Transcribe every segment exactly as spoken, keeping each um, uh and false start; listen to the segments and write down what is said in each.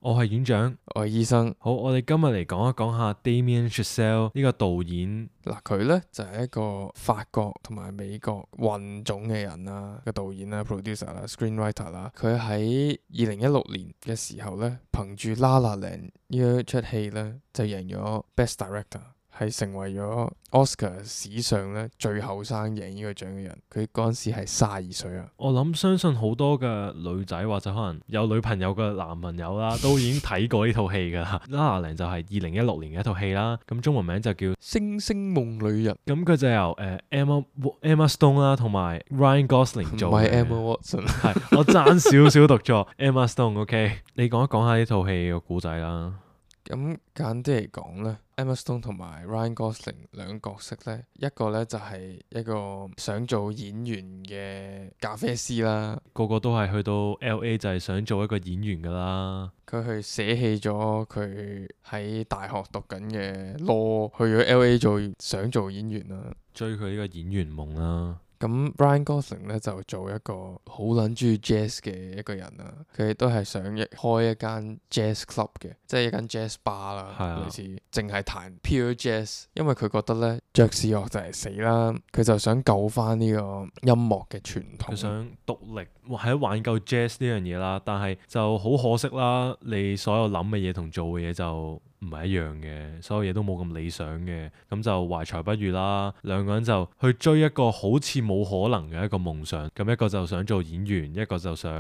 我係院長，我係醫生。好，我哋今日嚟講一講下 Damien Chazelle 呢個導演。嗱，佢咧就係、是、一個法國同埋美國混種嘅人啦，個導演啦、producer 啦、screenwriter 啦。佢喺二零一六年嘅時候咧，憑住《La La Land》呢一出戲咧，就贏咗 Best Director。係成為咗 Oscar 史上咧最後生贏呢個獎嘅人，佢嗰陣時係卅二歲啊！我諗相信好多嘅女仔或者可能有女朋友嘅男朋友啦，都已經睇過呢套戲㗎啦。La La Land 就係二零一六年嘅一套戲啦，咁中文名就叫《星星夢裡人》。咁佢就由誒、呃、Emma Emma Stone 啦，同埋 Ryan Gosling 做嘅。唔係 Emma Watson。係我爭少少讀錯 Emma Stone。OK， 你講一講下呢套戲個故仔啦。咁簡單啲嚟講咧 Emma Stone 同埋 Ryan Gosling 兩個角色咧，一個咧就係一個想做演員嘅咖啡師啦，個個都係去到 L A 就係想做一個演員噶啦。佢去捨棄咗佢喺大學讀緊嘅 law，去咗 L A 做想做演員啦，追佢呢個演員夢啦。咁 Ryan Gosling 咧就做一個好撚中意 jazz 嘅一個人啦，佢亦都係想一開一間 jazz club 嘅，即係一間 jazz bar 啦，啊、類似淨係彈 pure jazz，因為佢覺得咧爵士樂就係死啦，佢就想救翻呢個音樂嘅傳統。佢想獨立喺挽救 jazz 呢樣嘢啦，但係就好可惜啦，你所有諗嘅嘢同做嘅嘢就唔係一樣嘅，所有嘢都冇咁理想嘅，咁就懷才不遇啦。兩個人就去追一個好似冇可能嘅一個夢想，咁一個就想做演員，一個就想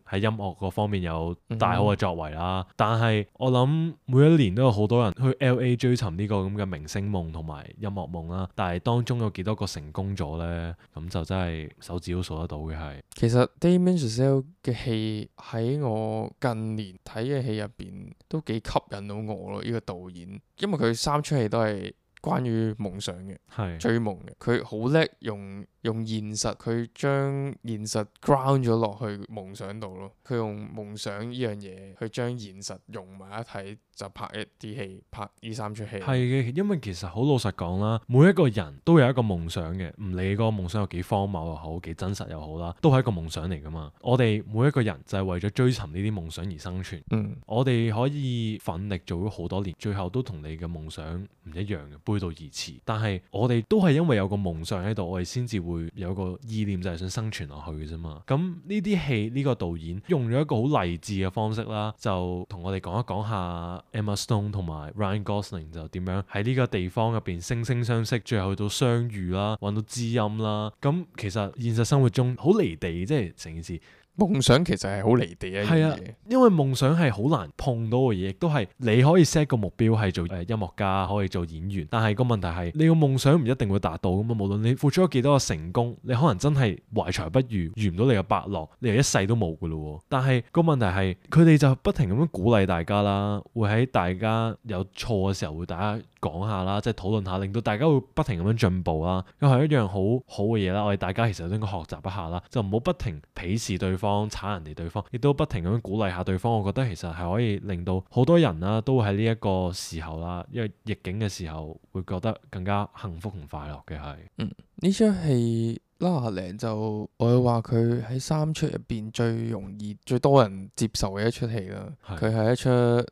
喺音樂嗰方面有大好嘅作為啦。嗯、但係我諗每一年都有好多人去 L A 追尋呢個咁嘅明星夢同埋音樂夢啦，但係當中有幾多個成功咗呢？咁就真係手指都數得到嘅係。其實 Damien Chazelle 嘅戲喺我近年睇嘅戲入邊都幾吸引到我咯，呢、這個導演，因為佢三出戲都係關於夢想嘅，係追夢嘅，佢好叻用用現實，佢將現實 ground 咗落去夢想度咯。佢用夢想呢樣嘢去將現實融埋一齊，就拍一啲戲，拍呢三出戲。係嘅，因為其實好老實講啦，每一個人都有一個夢想嘅，唔理個夢想有幾荒謬又好，幾真實又好啦，都係一個夢想嚟噶嘛。我哋每一個人就係為咗追尋呢啲夢想而生存。嗯，我哋可以奮力做咗好多年，最後都同你嘅夢想唔一樣嘅，背道而馳。但係我哋都係因為有個夢想喺度，我哋先至會有個意念就係想生存落去嘅啫嘛。咁呢啲戲呢個導演用咗一個好勵志嘅方式啦，就同我哋講一講下 Emma Stone 同埋 Ryan Gosling 就點樣喺呢個地方入邊惺惺相惜，最後去到相遇啦，揾到知音啦。咁其實現實生活中好離地，即係成件事。夢想其實係好離地一樣嘢，啊，因為夢想係好難碰到嘅嘢，亦都係你可以 set 個目標係做誒音樂家，可以做演員，但係個問題係你個夢想唔一定會達到㗎嘛。無論你付出咗幾多個成功，你可能真係懷才不遇，遇唔到你嘅伯樂，你又一世都冇㗎咯。但係個問題係佢哋就不停咁樣鼓勵大家啦，會喺大家有錯嘅時候會大家講下啦，即係討論下，令到大家會不停咁樣進步啦。又係一樣好好嘅嘢啦。我哋大家其實都應該學習一下啦，就唔好不停鄙視對方。炒人哋對方，亦都不停咁樣鼓勵下對方。我覺得其實係可以令到好多人啦，都喺呢一個時候啦，因為逆境嘅時候，會覺得更加幸福同快樂嘅係。嗯，呢出戲《La La Land》就我會話佢喺三出入邊最容易、最多人接受嘅一出戲啦。佢係一出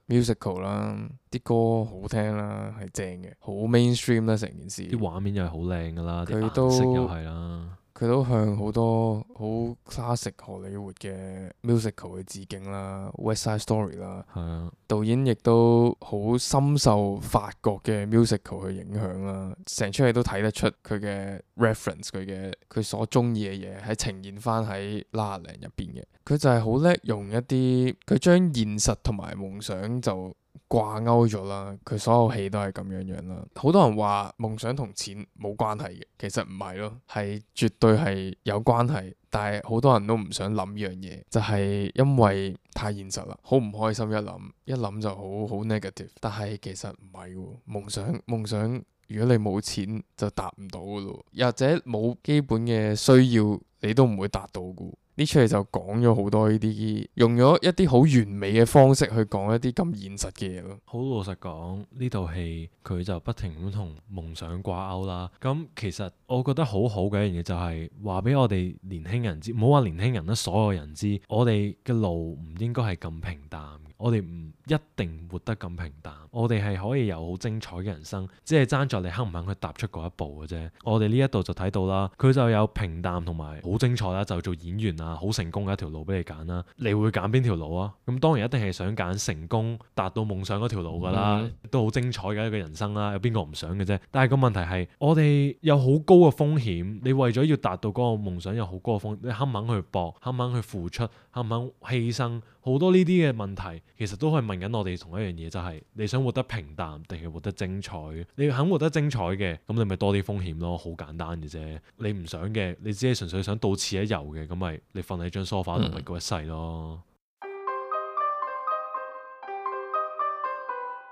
musical 啦，啲歌好聽啦，係正嘅，好 mainstream 啦成件事。啲畫面又係好靚噶啦，佢都顏色又係啦。佢都向好多好 classic 荷里活嘅 musical 去致敬啦 ，West Side Story 啦。係啊，導演亦都好深受法國嘅 musical 去影響啦，成出戲都睇得出佢嘅 reference，佢嘅佢所中意嘅嘢係呈現翻喺 La La Land 入邊嘅。佢就係好叻用一啲，佢將現實同埋夢想就掛鈎咗啦，佢所有戲都係咁樣樣啦。好多人話夢想同錢冇關係嘅，其實唔係咯，係絕對係有關係。但係好多人都唔想諗呢樣嘢，就係因為太現實啦，好唔開心一諗，一諗就好好 negative。但係其實唔係喎，夢想夢想，如果你冇錢就達唔到噶咯，或者冇基本嘅需要，你都唔會達到噶。呢出戲就講咗好多呢啲，用咗一啲好完美嘅方式去講一啲咁現實嘅嘢咯。好老實講，呢套戲佢就不停咁同夢想掛鈎啦。咁其實我覺得好好嘅一樣嘢就係話俾我哋年輕人知，唔好話年輕人啦，所有人知，我哋嘅路唔應該係咁平淡。我哋唔一定活得咁平淡，我哋係可以有好精彩嘅人生，只係爭在你肯唔肯去踏出嗰一步嘅啫。我哋呢一度就睇到啦，佢就有平淡同埋好精彩啦，就做演員啊，好成功嘅一條路俾你揀啦。你會揀邊條路啊？咁當然一定係想揀成功達到夢想嗰條路噶啦，嗯、都好精彩嘅一個人生啦。有邊個唔想嘅啫？但係個問題係，我哋有好高嘅風險，你為咗要達到嗰個夢想有好高嘅風險，你肯唔肯去搏？肯唔肯去付出？肯唔肯犧牲？好多呢啲嘅問題，其實都係問緊我哋同一樣嘢，就係、是、你想活得平淡定係活得精彩？你肯活得精彩嘅，咁你咪多啲風險咯，好簡單嘅啫。你唔想嘅，你只係純粹想到此一遊嘅，咁咪你瞓喺張梳化度咪過一世咯。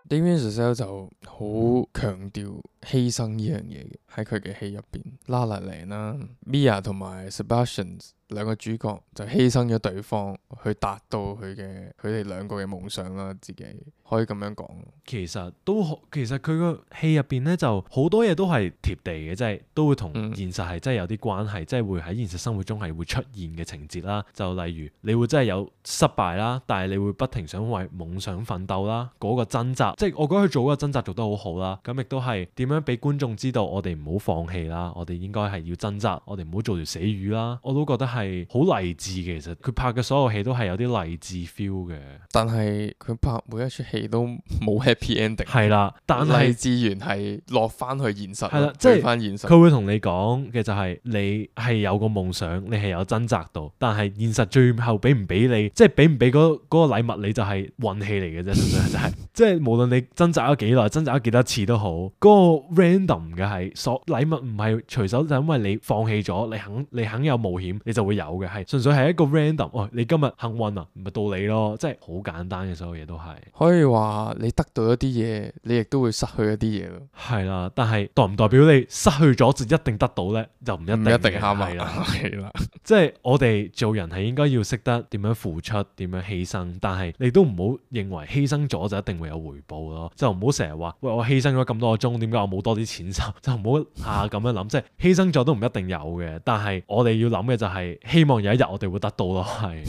Damien Chazelle 就好強調犧牲呢樣嘢嘅，喺佢嘅戲入邊，La La Land啦，Mia 同埋 Sebastian 兩個主角就犧牲咗對方去達到佢嘅佢哋兩個嘅夢想啦，自己可以咁樣講。其實都其實佢個戲入邊咧就好多嘢都係貼地嘅，即係都會同現實係真係有啲關係，即係、嗯、會喺現實生活中係會出現嘅情節啦。就例如你會真係有失敗啦，但係你會不停想為夢想奮鬥啦，嗰、嗰個掙扎，即係我覺得佢做嗰個掙扎做得好好啦。咁亦都係點樣俾觀眾知道我哋唔好放棄啦，我哋應該係要掙扎，我哋唔好做條死魚啦。我都覺得係好勵志嘅，其實佢拍嘅所有戲都係有啲勵志 feel 嘅。但係佢拍每一出戲都冇 happy ending。係啦，但係勵志完係落翻去現實，係啦，即係翻現實。佢會同你講嘅就係你係有個夢想，你係有掙扎到，但係現實最後俾唔俾你，即係俾唔俾嗰嗰個禮物你就係運氣嚟嘅啫，純粹就係即係無論你掙扎咗幾耐，掙扎咗幾多次都好，嗰、嗰個 random 嘅係所禮物唔係隨手，就因為你放棄咗，你肯你肯有冒險，你就會有嘅，係純粹係一個 random。哦，你今日幸運啊，咪到你咯，即係好簡單嘅，所有嘢都係。可以話你得到一啲嘢，你亦都會失去一啲嘢咯。係啦，但係代唔代表你失去咗就一定得到咧？就唔一定。唔一定啱係啦，係啦。即係我哋做人係應該要識得點樣付出，點樣犧牲，但係你都唔好認為犧牲咗就一定會有回報咯。就唔好成日話喂，我犧牲咗咁多個鐘，點解我冇多啲錢收？就唔好下咁樣諗，即係犧牲咗都唔一定有嘅。但係我哋要諗嘅就係希望有一日我哋會得到咯。係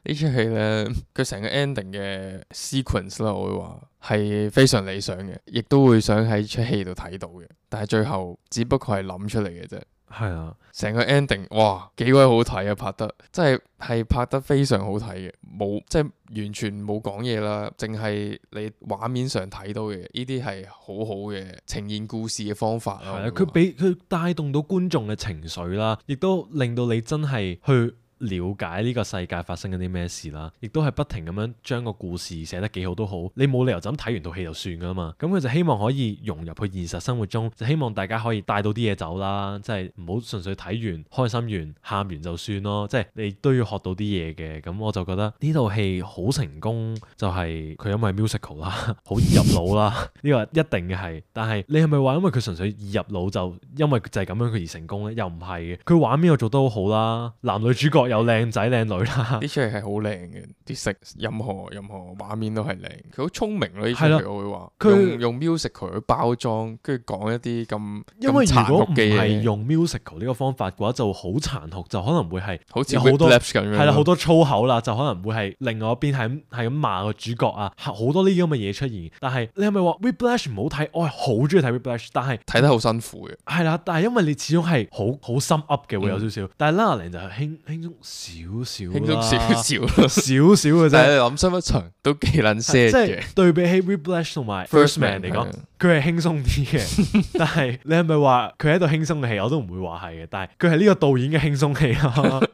呢出戲咧，佢成個 ending 嘅 sequence 啦，我會話係非常理想嘅，亦都會想喺出戲度睇到嘅。但係最後只不過係諗出嚟嘅啫。係啊，成個 ending 哇幾鬼好睇啊！拍得真係係拍得非常好睇嘅，冇即係完全冇講嘢啦，淨係你畫面上睇到嘅呢啲係好好嘅呈現故事嘅方法咯。係啊，佢俾佢帶動到觀眾嘅情緒啦，亦都令到你真係去了解呢個世界發生緊啲咩事啦，亦都係不停咁樣將個故事寫得幾好都好，你冇理由就咁睇完套戲就算噶嘛。咁佢就希望可以融入去現實生活中，就希望大家可以帶到啲嘢走啦，即係唔好純粹睇完開心完喊完就算咯，即係你都要學到啲嘢嘅。咁我就覺得呢套戲好成功，就係佢因為 musical 啦，好易入腦啦，呢個一定嘅係。但係你係咪話因為佢純粹易入腦就因為就係咁樣佢而成功呢？又唔係嘅，佢畫面又做得好好啦，男女主角有靚仔靚女啦，呢出戲係好靚嘅，啲色任何任何畫面都係靚，佢好聰明咯。呢出戲我會話，用用 musical 去包裝，跟住講一啲咁因為如果唔係係用 musical 呢個方法嘅話，就好殘酷，就可能會係好似好多咁樣，係啦，好多粗口啦，就可能會係另外一邊係咁係咁罵個主角啊，好多呢啲咁嘅嘢出現。但係你係咪話 Whiplash 唔好睇？我係好中意睇 Whiplash， 但係睇得好辛苦嘅。係啦，但係因為你始終係好好心 up 嘅，會有少少。嗯、但係 La La Land就係輕輕鬆少少，輕鬆少少，少少嘅啫。但係你諗深一層都幾撚 sad 嘅。即係對比起 Whiplash 同埋 First Man 嚟講，佢係輕鬆啲嘅。但係你係咪話佢喺度輕鬆嘅戲？我都唔會話係嘅。但係佢係呢個導演嘅輕鬆戲咯。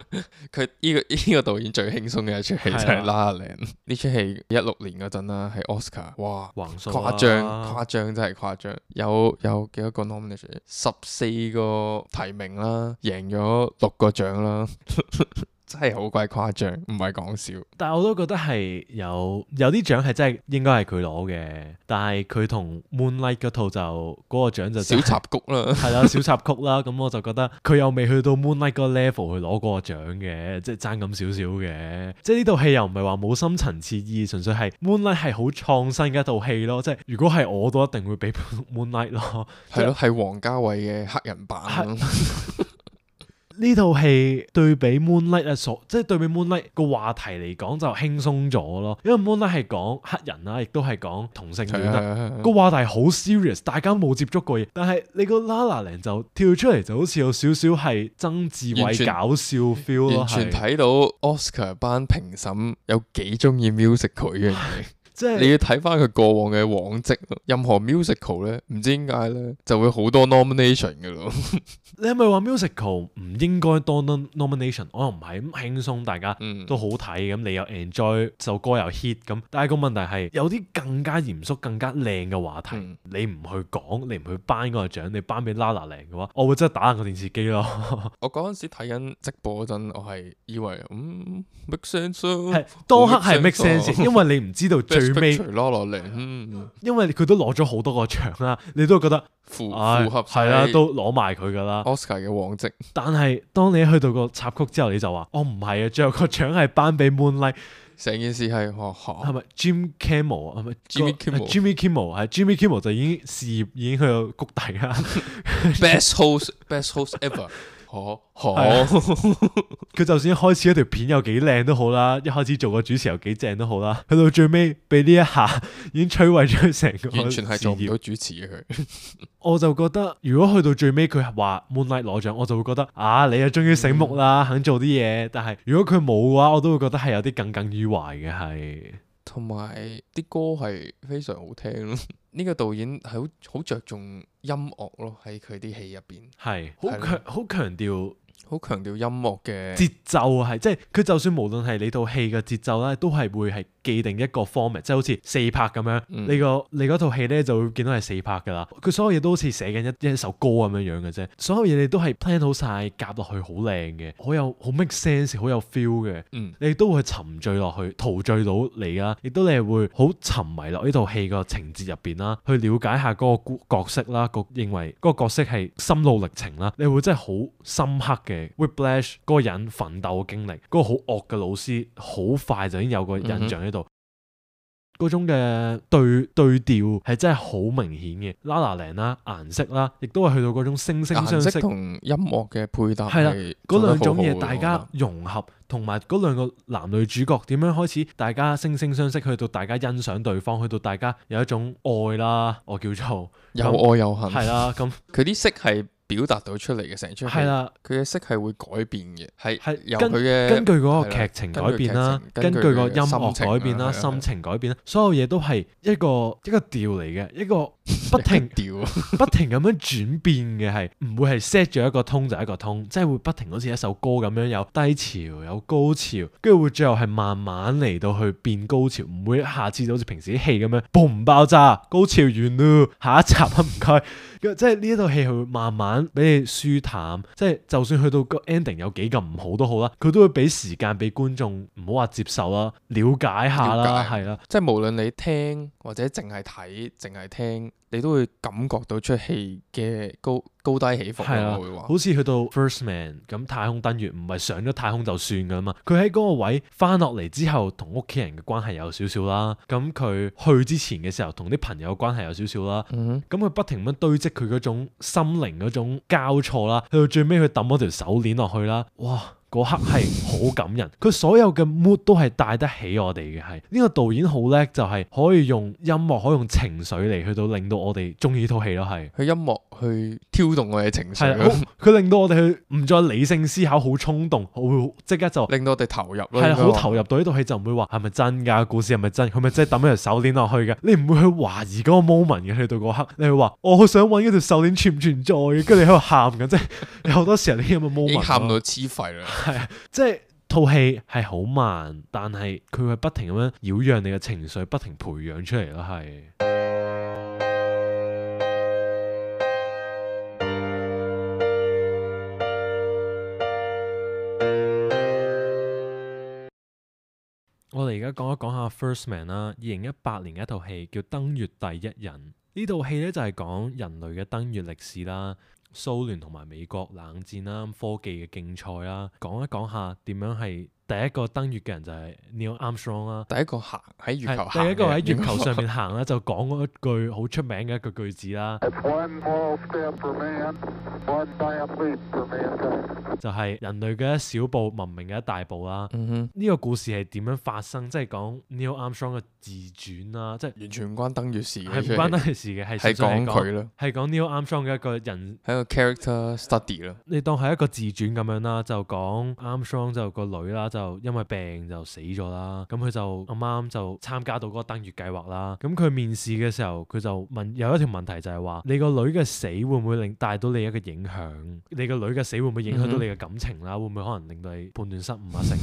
佢呢個呢個導演最輕鬆嘅一出戲就係 La La Land。呢出戲一六年嗰陣啦，係 Oscar， 哇，誇張誇張真係誇張。有有幾多個 nomination？ 十四個提名啦，贏咗六個獎啦。真係好鬼誇張，唔係講笑。但係我都覺得係有有啲獎係真係應該係佢攞嘅，但係佢同 Moonlight 嗰套就嗰、嗰個獎就、小插曲啦，係啦小插曲啦。咁我就覺得佢又未去到 Moonlight 嗰個 level 去攞嗰個獎嘅，即係爭咁少少嘅。即係呢套戲又唔係話冇深層次意義，純粹係 Moonlight 係好創新嘅一套戲咯。即係如果係我都一定會俾 Moonlight 咯。係咯，係王家衛嘅黑人版。呢套戲對比 Moonlight 啊，所即係對比 Moonlight 個話題嚟講就輕鬆咗咯，因為 Moonlight 係講黑人啦，亦都係講同性戀啦，個話題好 serious，大家冇接觸過嘢，但係你個 La La Land 就跳出嚟就好似有少少係曾志偉搞笑 feel 咯，完全睇到 Oscar 班評審有幾中意 musical 呢樣嘢。即係你要睇翻佢過往嘅往績，任何 musical 咧，唔知點解咧就會好多 nomination 嘅咯。你係咪話 musical 唔應該多 nomination？我又唔係咁輕鬆，大家都好睇咁，你又 enjoy 首歌又 hit 咁。但係個問題係有啲更加嚴肅、更加靚嘅話題，嗯、你唔去講，你唔去頒嗰個獎，你頒俾 La La Land嘅話，我會真係打爛個電視機咯。我嗰陣時睇緊直播嗰陣，我係以為嗯 make sense 係當刻係 make sense，因為你唔知道最尾 La La Land，嗯，因為佢都攞咗好多個獎啦，你都覺得。符符合係啦，都攞埋佢噶啦 Oscar 嘅往績。但係當你去到個插曲之後，你就話：我唔係啊，最後個獎係頒俾 Moonlight。成件事係學學係咪 Jim Kimmel 啊？係咪 Jimmy Kimmel？Jimmy Kimmel 係 Jimmy Kimmel 就已經事業已經去到谷底啦。Best host，best host ever。好，好，佢就算一開始嗰條片有幾靚都好啦，一開始做個主持又幾正都好啦，去到最尾俾呢一下已經摧毀咗佢成個，完全係做唔到主持嘅佢。我就覺得如果去到最尾佢話 Moonlight 攞獎，我就會覺得啊，你啊終於醒目啦，嗯、肯做啲嘢。但係如果佢冇嘅話，我都會覺得係有啲耿耿於懷嘅係。同埋啲歌係非常好聽咯。呢個導演係好好着重音樂咯，喺佢啲戲入邊係好強好強調。好強調音樂嘅節奏係，即係佢就算無論係你套戲嘅節奏咧，都係會係既定一個 format，即係好似四拍咁樣。嗯、你個你嗰套戲咧就會見到係四拍噶啦。佢所有嘢都好似寫緊一一首歌咁樣樣嘅啫。所有嘢你都係 plan 好晒，夾落去好靚嘅，好有好 make sense，好有 feel 嘅。嗯、你亦都會沉醉落去，陶醉到你啦。亦都你係會好沉迷落呢套戲個情節入邊啦，去了解下嗰個角色啦，個認為嗰個角色係心路歷程啦，你會真係好深刻嘅。Whiplash 嗰個人奮鬥嘅經歷，嗰、嗰個好惡嘅老師，好快就已經有個印象喺度。嗰、嗯、哼種嘅對對調係真係好明顯嘅。La La Land啦，顏色啦，亦都係去到嗰種惺惺相惜同音樂嘅配搭。係啦，嗰兩種嘢大家融合，同埋嗰兩個男女主角點樣開始，大家惺惺相惜，去到大家欣賞對方，去到大家有一種愛啦，我叫做有愛有恨。係啦，咁佢啲色係表達到出嚟嘅，成出戲，佢嘅色係會改變嘅，係係由佢嘅根據嗰個劇情改變啦，根據個音樂改變啦，心情改變啦，所有嘢都係一個一個調嚟嘅，一個不停調不停咁樣轉變嘅，係唔會係 set 咗一個 tone 就一個 tone，即係會不停好似一首歌咁樣有低潮有高潮，跟住會最後係慢慢嚟到去變高潮，唔會一下子就好似平時啲戲咁樣 boom 爆炸，高潮完咯，下一集啊唔該。即係呢一套戲係會慢慢俾你舒淡，即係就算去到個 ending 有幾咁唔好都好啦，佢都會俾時間俾觀眾唔好話接受啦，了解下啦，係啦，即係無論你聽或者淨係睇，淨係聽，你都會感覺到出戲嘅高高低起伏。係啊，會話好似去到 First Man 咁，太空登月唔係上咗太空就算噶嘛，佢喺嗰個位翻落嚟之後，同屋企人嘅關係有少少啦，咁佢去之前嘅時候，同啲朋友嘅關係有少少啦，咁佢、嗯、哼不停咁堆積佢嗰種心靈嗰種交錯啦，去到最尾佢抌嗰條手鏈落去啦，哇！嗰刻係好感人，佢所有嘅 mood 都係帶得起我哋嘅，係呢個導演好叻，就係可以用音樂，可以用情緒嚟去到令到我哋中意呢套戲咯，係佢音樂去挑動我哋情緒，佢令到我哋去唔再理性思考，好衝動，好即刻就令到我哋投入咯，係好投入到呢套戲，就唔會話係咪真㗎？故事係咪真？佢咪真係抌咗條手鏈落去嘅？你唔會去懷疑嗰個 moment 嘅，去到嗰刻，你會話我好想揾嗰條手鏈存唔存在嘅，跟住你喺度喊緊，即係有好多時候呢啲咁嘅 moment 已經喊到黐肺啦。係啊，即係套戲係好慢，但係佢會不停咁樣擾攘你嘅情緒，不停培養出嚟咯，係。我哋而家講一講下 First Man 啦，二零一八年嘅一套戲叫《登月第一人》。呢套戲咧就係講人類嘅登月歷史啦。蘇聯同埋美國冷戰啦，科技嘅競賽啦，講一講下點樣係第一個登月嘅人就係 Neil Armstrong 啦。第一個行喺月球係行第一個喺月嘅球上面行啦，就講嗰一句好出名嘅一句句子啦， It's one small step for man, one giant leap for mankind. 就係人類嘅一小步，文明嘅一大步啦。嗯哼，呢個故事係點樣發生？即係講 Neil Armstrong 嘅自傳啦，即係完全唔關登月事嘅，係唔關得嘅事嘅，係係純粹係講佢咯，係講 Neil Armstrong 嘅一個人。係一個 character study 咯。你當係一個自傳咁樣啦，就講 Armstrong 就個女啦，就因為病就死咗啦。咁佢就啱啱就參加到嗰個登月計劃啦。咁佢面試嘅時候，佢就問有一條問題就係話：你個女嘅死會唔會令帶到你一個影響？你個女嘅死會唔會影響到你嘅感情啦？會唔會可能令到你判斷失誤啊？成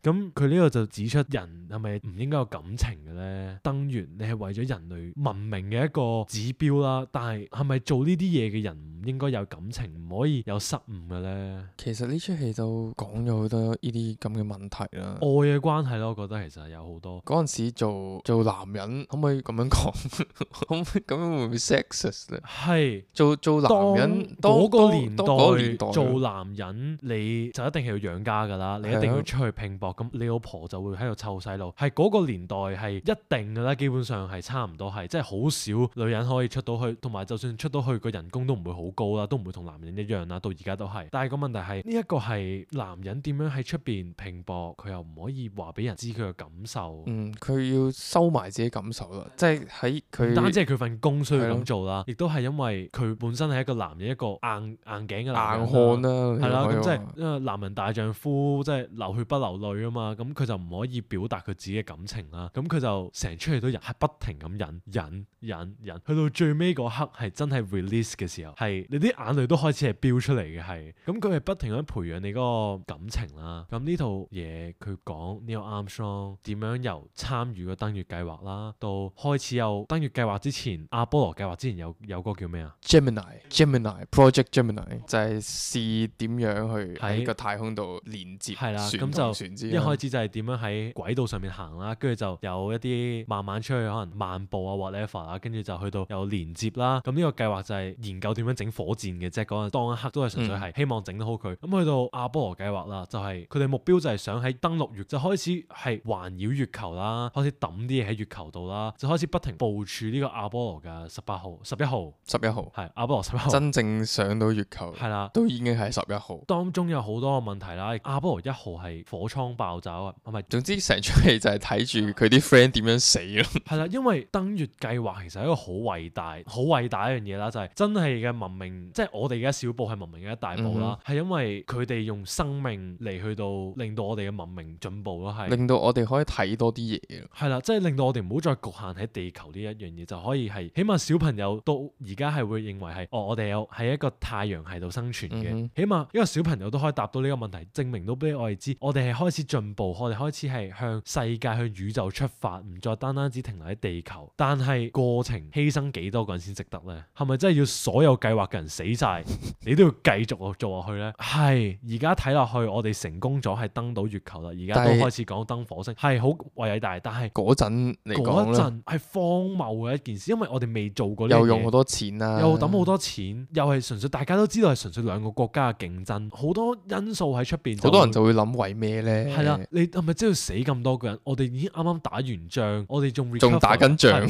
咁佢呢個就指出人係咪唔應該有感情嘅咧？登月你係為咗人類文明嘅一個指標啦，但係係咪做呢啲嘢嘅人唔應該有感情，唔可以有失誤嘅咧？其實呢出戲都講咗好多呢啲咁嘅問題啦。愛嘅關係咯，我覺得其實有好多。嗰陣時做做男人可唔可以咁樣講？可唔可以咁樣會唔會 sexist 咧？係做做男人當嗰個當年當嗰個年代代做男人，你就一定係要養家㗎啦，你一定要出去拼搏，咁你老婆就會喺度湊細路。係嗰個年代係一定㗎啦，基本上係差唔多係，即係好少女人可以出到去，同埋就算出到去個人工都唔會好高啦，都唔會同男人一樣啦，到而家都係。但係個問題係呢一個係男人點樣喺出邊拼搏，佢又唔可以話俾人知佢嘅感受。嗯，佢要收埋自己感受啦，即係喺佢唔單止係佢份工需要係咯咁做啦，亦都係因為佢本身係一個男人，一個硬硬頸嘅男人硬漢啦，係啦，咁即係你可以話因為男人大丈夫，即係流血不流淚啊嘛，咁佢就唔可以表達佢自己嘅感情啦，咁佢就成出戲都忍，係不停咁忍忍忍忍，去到最尾嗰刻係真係 release 嘅時候，係你啲眼淚都開始係飆出嚟嘅，係，咁佢係不停咁培養你嗰個感情啦。咁呢套嘢佢講 Neil Armstrong 點樣由參與個登月計劃啦，到開始有登月計劃之前，阿波羅計劃之前有有個叫咩啊？ Gemini Gemini Project Gemini 就係試點樣去喺喺個太空度連接係啦，船咁就同船之間。一開始就係點樣喺軌道上面行啦，跟住就有一啲慢慢出去可能漫步啊 whatever 啦，跟住就去到有連接啦。咁呢個計劃就係研究點樣整火箭嘅啫，嗰陣當一刻都係純粹係希望整得好佢。咁、嗯、去到阿波羅計劃啦，就係佢哋目標就係想喺登陸月就開始係環繞月球啦，開始抌啲嘢喺月球度啦，就開始不停部署呢個阿波羅嘅十八號、十一號、十一號係阿波羅十一號，真正上到月球係啦。都已經係十一號。當中有好多個問題啦，阿波羅一號係火倉爆炸啊，係咪？總之成出戲就係睇住佢啲 friend 點樣死咯。係啦，因為登月計劃其實係一個好偉大、好偉大一樣嘢啦，就係、是、真係嘅文明，即係我哋嘅一小步係文明嘅一大步啦。係、嗯、因為佢哋用生命嚟去到令到我哋嘅文明進步咯，係令到我哋可以睇多啲嘢咯。係啦，即係令到我哋唔好再局限喺地球呢一樣嘢，就可以係起碼小朋友到而家係會認為係哦，我哋有喺一個太陽系度生存嘅，嗯、起碼一個小朋友都可以答到呢個問題，證明到俾我哋知，我哋係開始進步，我哋開始係向世界、向宇宙出發，唔再單單只停留喺地球。但係過程犧牲幾多個人先值得呢？係咪真係要所有計劃嘅人死晒，你都要繼續做落去呢？係而家睇落去，我哋成功咗係登到月球啦，而家都開始講登火星，係好偉大。但係嗰陣嚟講咧，嗰陣係荒謬嘅一件事，因為我哋未做過呢樣嘢，又用好多錢啦、啊，又抌好多錢，又係純粹大家都知道係純粹兩個國家嘅競爭，好多因素喺出邊。好多人就會諗為咩咧？係啦，你係咪真係要死咁多個人？我哋已經啱啱打完仗，我哋仲仲打緊仗。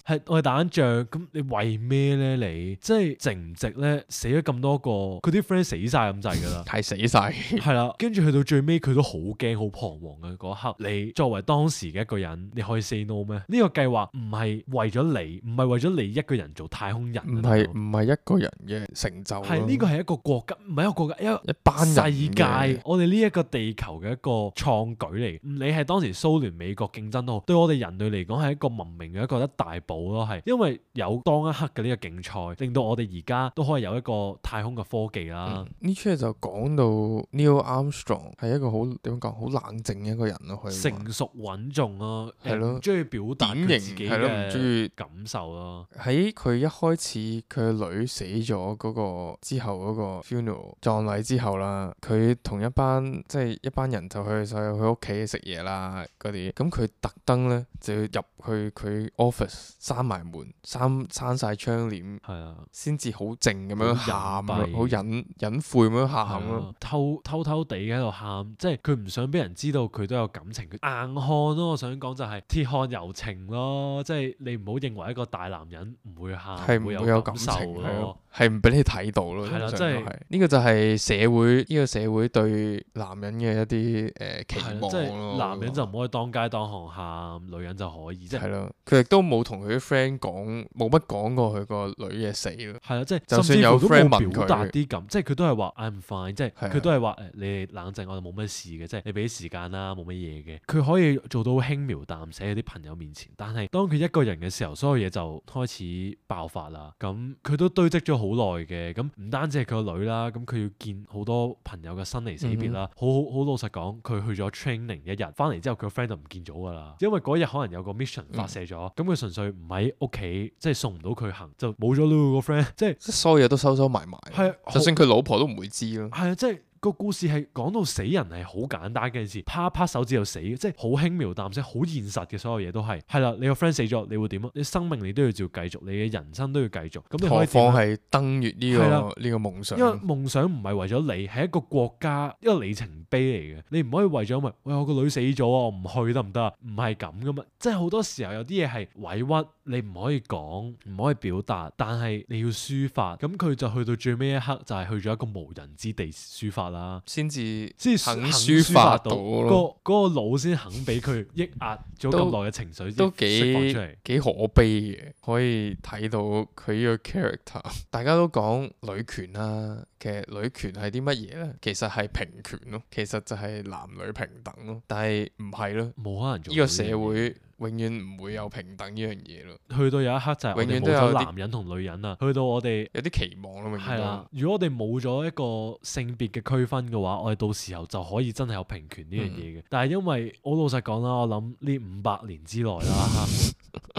係我哋打緊仗，咁你為咩咧？你即係值唔值咧？死咗咁多個，佢啲 friend 死晒咁滯噶啦，係死晒。係啦，跟住去到最尾，佢都好驚、好彷徨嘅嗰一刻。你作為當時嘅一個人，你可以 say no 咩？呢個計劃唔係為咗你，唔係為咗你一個人做太空人。唔係唔係一個人嘅成就。係呢個係一個國家，唔係一個國家，一個一班人世界。我哋呢一個地球嘅一個創舉嚟。你係當時蘇聯、美國競爭都好，對我哋人類嚟講係一個文明嘅一個一大步咯。係因為有當一刻嘅呢個競賽，令到我哋而家都可以有一個太空嘅科技啦。呢出嘢就講到 Neil Armstrong 係一個好點講好冷靜嘅一個人咯，可以成熟穩重咯，係咯，中意表達佢自己係咯，唔中意感受咯。喺佢一開始佢個女死咗嗰個之後嗰個 funeral 葬禮之後啦，佢同一班即係一班人就去就去佢屋企食嘢啦嗰啲，咁佢特登咧就要入去佢 office 閂埋門，閂閂晒窗簾，係啊，先至好靜咁樣喊咯，好隱蔽好隱隱晦咁樣喊係咯。啊偷偷偷地喺度喊，即係佢唔想俾人知道佢都有感情，佢硬漢咯。我想講就係鐵漢柔情咯，即係你唔好認為一個大男人唔會喊，係唔會會有感感受情係咯咯。係唔俾你睇到咯，係啦通常都即係係呢個就係社會呢個社會對男人嘅一啲誒期係啦，望即係咯。男人就唔可以當街當巷喊，女人就可以，即係係咯，佢亦都冇同佢啲 friend 講，冇乜講過佢個女嘅死咯。係啦，即係就算有甚至乎都 friend 冇問佢表達啲咁，即係佢都係話 I'm fine，即係係啊佢都係話誒你哋冷靜，我哋冇乜事嘅，即係你俾啲時間啦，冇乜嘢嘅。佢可以做到輕描淡寫喺啲朋友面前，但係當佢一個人嘅時候，所有嘢就開始爆發啦。咁佢都堆積咗好耐嘅，咁唔單止係佢個女啦，咁佢要見好多朋友嘅生離死別啦。好好好老實講，佢去咗 training 一日，翻嚟之後佢個 friend 就唔見咗㗎啦，因為嗰日可能有個 mission 發射咗，咁佢純粹唔喺屋企，即係送唔到佢行，就冇咗咯個 friend，即係即係所有嘢都收收埋埋，係就算佢老婆都唔會知咯。係啊，即係。個故事係講到死人係好簡單嘅件事，啪啪手指就死，即係好輕描淡寫，好現實嘅所有嘢都係。係啦，你個 friend 死咗，你會點啊？你生命你都要照繼續，你嘅人生都要繼續。咁你何可以點啊況係登月呢、係啦個呢個夢想，因為夢想唔係為咗你，係一個國家一個里程碑嚟嘅。你唔可以為咗咪，喂我個女死咗啊，我唔去得唔得啊？唔係咁噶嘛，即係好多時候有啲嘢係委屈，你唔可以講，唔可以表達，但係你要抒發。咁佢就去到最尾一刻，就係去咗一個無人之地抒發啦，先至先肯肯抒發到到咯，嗰嗰個腦先肯俾佢抑壓咗咁耐嘅情緒都先釋放幾出嚟。幾可悲嘅，可以睇到佢呢個 character。大家都講女權啦，其實女權係啲乜嘢咧？其實係平權咯，其實就係男女平等咯。但係唔係咯，冇可能做呢個到樣嘢社會永遠唔會有平等呢樣嘢咯。去到有一刻就係我哋冇永遠都有啲咗男人同女人啦，去到我哋。有啲期望咯，永遠都係啦，如果我哋冇咗一個性別嘅區分嘅話，我哋到時候就可以真係有平權呢樣嘢嘅。但係因為我老實講啦，我諗呢五百年之內啦，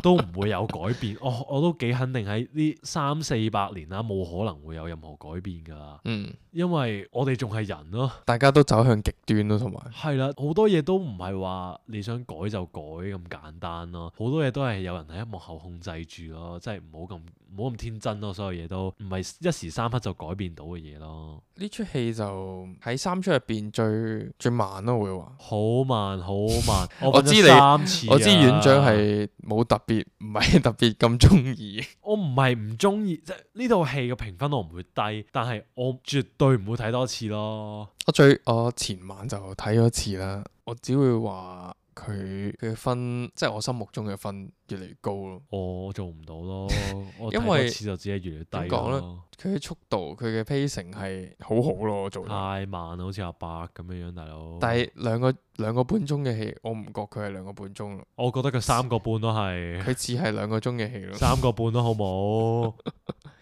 都唔會有改變。我我都幾肯定喺呢三四百年啦，冇可能會有任何改變㗎啦。嗯，因為我哋仲係人咯。大家都走向極端咯，同埋係啦，好多嘢都唔係話你想改就改咁簡單咯，好多嘢都係有人喺幕後控制住咯，即係唔好咁唔好咁天真咯，所有嘢都唔係一時三刻就改變到嘅嘢咯。呢出戲就喺三出入邊最最慢咯，會話。好慢好慢，我我知你瞓咗三次啊我知院長係冇特別，唔係特別咁中意。我唔係唔中意，即係呢套戲嘅評分我唔會低，但係我絕對唔會睇多次咯。我最我前晚就睇咗一次啦，我只會話佢嘅分，即係我心目中嘅分越嚟越高咯。我做唔到咯，我因為睇多次就只係越嚟越低點講咧咯。佢嘅速度，佢嘅 pacing 係好好咯，我做得。太慢啦，好似阿伯咁樣樣，大佬。但係兩個兩個半鐘嘅戲，我唔覺佢係兩個半鐘咯，我覺得佢三個半都係。佢似係兩個鐘嘅戲咯。三個半都好冇。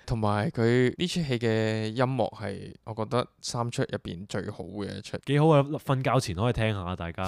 同埋佢呢出戲嘅音樂係，我覺得三出入邊最好嘅一出。幾好啊！瞓覺前可以聽下，大家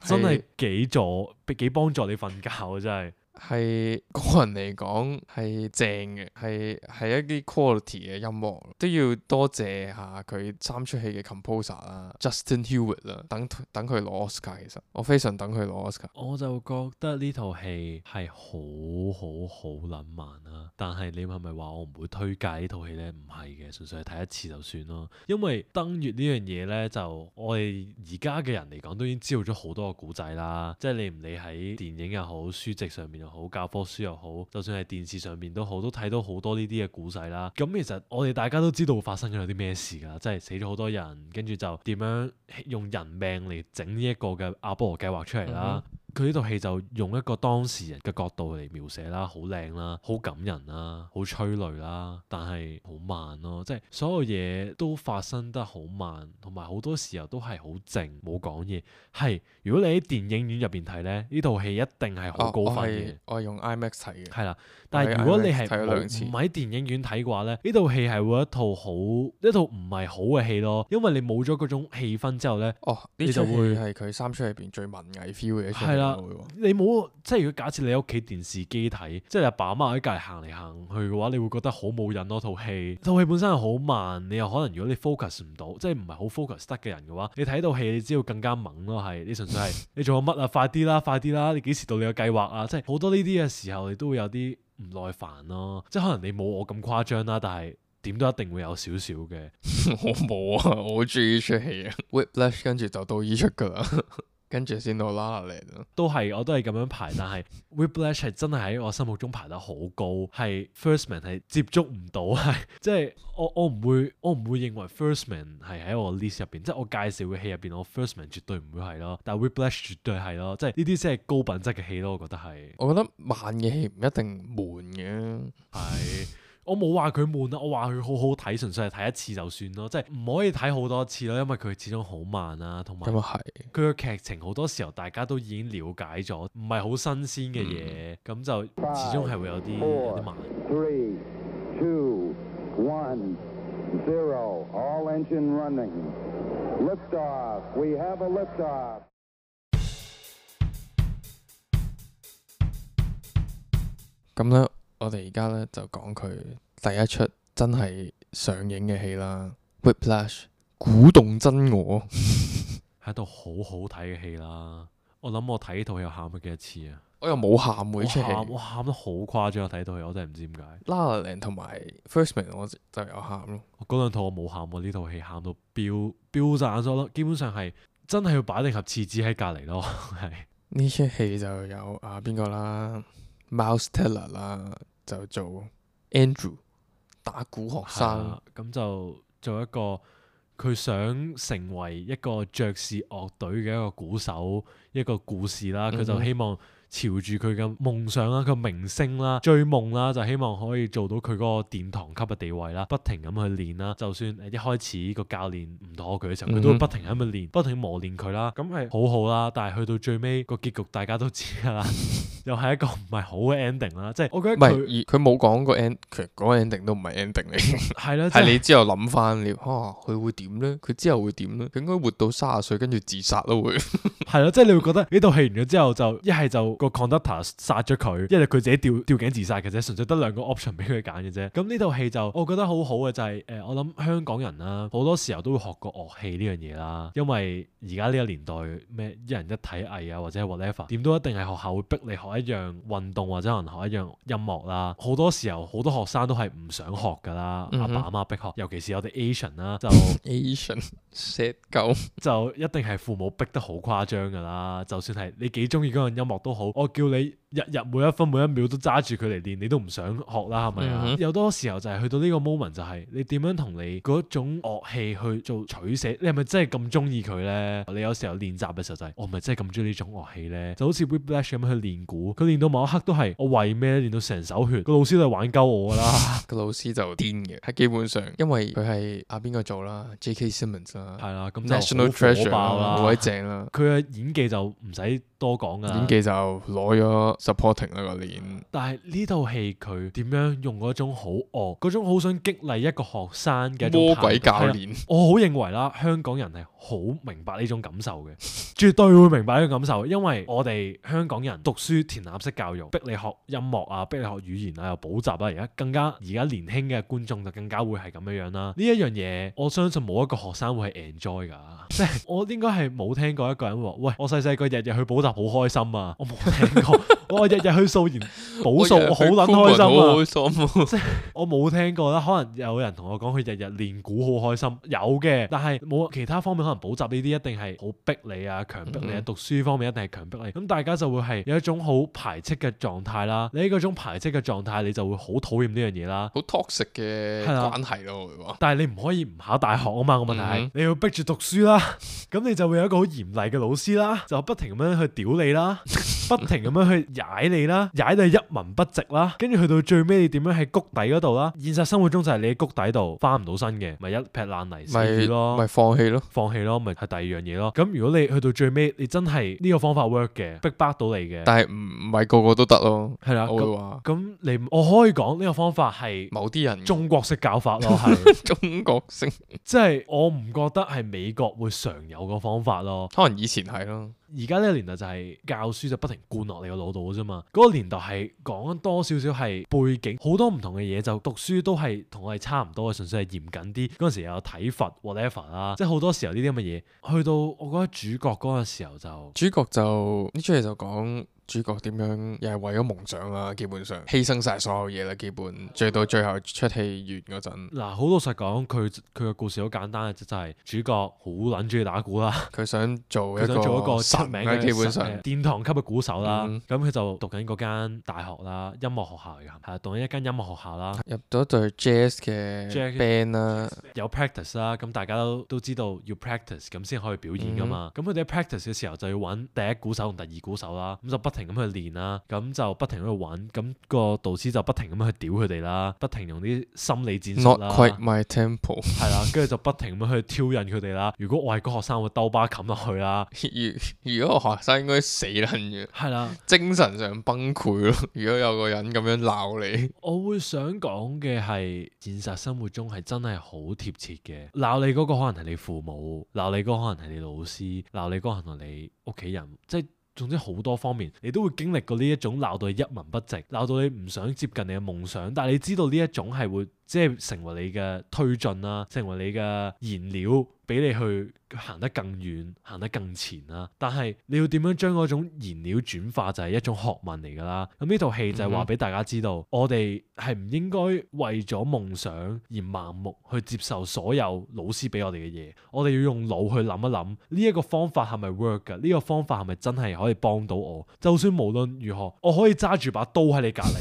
真係幾助幾幫助你瞓覺啊！真係。係個人嚟講係正嘅，係係一啲 quality 嘅音樂，都要多謝下佢三出戲嘅 composer 啦，Justin Hewitt 啦，等等佢攞 Oscar。其實我非常等佢攞 Oscar。我就覺得呢套戲係好好好撚慢啦，但係你係咪話我唔會推介呢套戲呢？唔係嘅，純粹係睇一次就算咯。因為登月呢樣嘢呢，就我哋而家嘅人嚟講都已經知道咗好多個古仔啦，即係你唔理喺電影又好，書籍上面又好，教科書又好，就算係電視上面都好，都睇到好多呢啲嘅古仔啦。咁其實我哋大家都知道發生咗有啲咩事㗎，即係死咗好多人，跟住就點樣用人命嚟整呢一個嘅阿波羅計劃出嚟啦。嗯佢呢套戲就用一個當事人嘅角度嚟描寫啦，好靚啦，好感人啦，好催淚啦，但係好慢咯，即係所有嘢都發生得好慢，同埋好多時候都係好靜，冇講嘢。係如果你喺電影院入邊睇咧，呢套戲一定係好高分嘅。我係用 IMAX 睇嘅。係啦，但係如果你係睇咗兩次唔喺電影院睇嘅話咧，呢套戲係會一套好一套唔係好嘅戲咯，因為你冇咗嗰種氣氛之後咧，哦，呢你就會出戲係佢三出入邊最文藝 feel 嘅一出。係啦。啦我會話你冇即係如果假設你喺屋企電視機睇，即係你阿爸阿媽喺隔離行嚟行去嘅話，你會覺得好冇癮咯。套戲套戲本身係好慢，你又可能如果你 focus 唔到，即係唔係好 focus 得嘅人嘅話，你睇套戲你知道更加猛咯。係你純粹係你做緊乜啊？快啲啦，快啲啦！你幾時到你嘅計劃啊？即係好多呢啲嘅時候，你都會有啲唔耐煩咯。即係可能你冇我咁誇張啦，但係點都一定會有少少嘅。我冇啊，我好中意呢出戲啊。Whiplash 跟住就到依出噶啦。跟住先到 La La Land 咯，都係我都係咁樣排，但係 Whiplash 係真係喺我心目中排得好高，係 First Man 係接觸唔到，係即係我我唔會我唔會認為 First Man 係喺我 list 入邊，即係我介紹嘅戲入邊，我 First Man 絕對唔會係咯，但係 Whiplash 絕對係咯，即係呢啲先係高品質嘅戲咯，我覺得係。我覺得慢嘅戲唔一定悶嘅，係。我冇話佢悶啊，我話佢好好睇，純粹係睇一次就算咯，即係唔可以睇好多次咯，因為佢始終好慢啦，同埋咁啊係。佢嘅劇情好多時候大家都已經了解咗，唔係好新鮮嘅嘢，咁、嗯、就始終係會有啲有啲慢。Three, two, one, zero. All engine running. Lift off. We have a lift off. 咁咧。我哋而家咧就講佢第一出真係上映嘅戲啦，《Whiplash》鼓動真我，係一套好好睇嘅戲啦。我諗我睇呢套戲喊咗幾多次啊！我又冇喊喎呢出戲，我喊得好誇張，睇套戲我真係唔知點解。La La Land同埋 First Man 我就有喊咯。嗰兩套我冇喊喎，呢套戲喊到飆飆晒眼咗咯，基本上係真係要擺定盒廁紙喺隔離咯。係呢出戲就有啊邊個啦 ，Miles Teller 啦。就做 Andrew 打鼓學生，咁就做一個佢想成為一個爵士樂隊嘅一個鼓手，一個故事啦。佢、嗯、哼就希望朝住佢嘅夢想啦，佢明星啦，追夢啦，就希望可以做到佢嗰個殿堂級嘅地位啦。不停咁去練啦，就算誒一開始個教練唔妥佢嘅時候，佢、嗯、哼都會不停咁去練，不停磨練佢啦。咁係好好啦，但係去到最尾個結局大家都知㗎啦。又係一個唔係好嘅 ending 啦，即係我覺得佢佢冇講個 end，其實嗰個 ending 都唔係 ending 嚟嘅，係啦，係你之後諗翻你，嚇佢會點咧？佢之後會點咧？佢應該活到三十歲跟住自殺咯會，係咯，即係你會覺得呢套戲完咗之後就一係就個 conductor 殺咗佢，一係佢自己吊吊頸自殺嘅啫，純粹得兩個 option 俾佢揀嘅啫。咁呢套戲就我覺得好好嘅就係、是、誒、呃，我諗香港人啦，好多時候都會學過樂器呢樣嘢啦，因為而家呢個年代咩一人一體藝啊或者 whatever， 點都一定係學校會逼你學一樣運動或者可能學一樣音樂啦。好多時候好多學生都係唔想學噶啦，阿、嗯、哼爸阿媽逼學，尤其是我哋 Asian 啦，就 Asian set 狗就一定係父母逼得好誇張噶啦。就算係你幾中意嗰樣音樂都好，我叫你日日每一分每一秒都揸住佢嚟練，你都唔想學啦，係咪啊？嗯、哼有多時候就係去到呢個 moment 就係你點樣同你嗰種樂器去做取捨，你係咪真係咁中意佢咧？你有時候練習嘅時候就係、是、我咪真係咁中意呢種樂器咧？就好似 Whiplash 咁樣去練鼓，佢練到某一刻都係我為咩練到成手血？個老師都係玩鳩我噶啦，個老師就癲嘅，係基本上因為佢係阿邊個做啦 ，J K Simmons 啦，係啦，咁 National Treasure 啦，好鬼正啦，佢嘅演技就唔使多講噶啦，演技就攞咗 supporting 啦個年。但係呢套戲佢點樣用嗰種好惡，嗰種好想激勵一個學生嘅魔鬼教練，我好認為啦，香港人係好明白呢種感受嘅，絕對會明白呢種感受，因為我哋香港人讀書填鴨式教育，逼你學音樂啊，逼你學語言啊，又補習啊，而家更加而家年輕嘅觀眾就更加會係咁樣樣啦。呢一樣嘢，我相信冇一個學生會係 enjoy 㗎，即係我應該係冇聽過一個人話，喂，我細細個日日去補習好開心啊，我冇聽過，我日日去數研補數我好撚開心啊，即係我冇聽過啦。可能有人同我講佢日日練鼓好開心，有嘅，但係冇其他方面可能補習呢啲一定係好逼你啊，強迫你啊，讀書方面一定係強迫你，咁大家就會係有一種好排斥嘅狀態啦。你喺嗰種排斥嘅狀態，你就會好討厭呢樣嘢啦，好 toxic 嘅關係咯，會話。但係你唔可以唔考大學啊嘛，個問題係、嗯、你要逼住讀書啦，咁你就會有一個好嚴厲嘅老師啦，就不停咁樣去屌你啦，不停咁樣去踩你啦，踩到一文不值啦，跟住去到最尾你點樣喺谷底嗰度啦？現實生活中就係你喺谷底度翻唔到身嘅，咪一劈爛泥死咯，咪放棄咯，放棄咯，咪係第二樣嘢咯。咁如果你去到最尾，你真係呢個方法 work 嘅，逼迫到你嘅，但係唔唔係個個都得咯，係啦，我會話咁你我可以講呢個方法係某啲人中國式教法咯，係中國式，即係我唔覺得係美國會常有個方法咯，可能以前係咯。而家呢個年代就係教書就不停灌落你個腦度嘅啫嘛。嗰、那個年代係講多少少係背景，好多唔同嘅嘢，就讀書都係同我哋差唔多嘅，純粹係嚴謹啲。嗰陣時又有體罰 whatever 啦，即係好多時候呢啲咁嘅嘢，去到我覺得主角嗰個時候就主角就呢出戲就講主角點樣又係為咗夢想啦，基本上犧牲晒所有嘢啦，基本最到最後出戲完嗰陣，嗱好老實講，佢佢嘅故事好簡單嘅，就就係主角好撚中意打鼓啦。佢想做佢一想做一個出神啊，名嘅基本上神殿堂級嘅鼓手啦。嗯咁佢、就讀緊嗰間大學啦，音樂學校嚟㗎，係啊，讀緊一間音樂學校啦，入咗隊 jazz 嘅 Jazz band 啦，有 practice 啦。咁大家都都知道要 practice 咁先可以表演㗎嘛。咁佢哋喺 practice 嘅時候就要揾第一鼓手同第二鼓手啦，咁就不停咁去練啦。咁就不停喺度揾，咁、個導師就不停咁去屌佢哋啦，不停用啲心理戰術 Not 啦， quite my tempo。係啦，跟住就不停咁去挑釁佢哋啦。如果我係個學生，我會兜巴冚落去啦。如如果個學生應該死撚嘅，係啦，精神上崩潰咯。如果有個人咁樣鬧你，我會想講嘅係現實生活中係真係好貼切嘅。鬧你嗰個可能係你父母，鬧你嗰個可能係你老師，鬧你嗰個可能係你屋企人，即係。總之好多方面，你都會經歷過呢一種鬧到你一文不值，鬧到你唔想接近你嘅夢想，但係你知道呢一種係會即係成為你嘅推進啦，成為你嘅燃料，俾你去行得更遠，行得更前啦。但係你要點樣將嗰種燃料轉化，就係一種學問嚟㗎啦。咁呢套戲就係話俾大家知道，嗯、我哋係唔應該為咗夢想而盲目去接受所有老師俾我哋嘅嘢。我哋要用腦去諗一諗，呢一個方法係咪 work 㗎？呢個方法係咪真係可以幫到我？就算無論如何，我可以揸住把刀喺你隔離，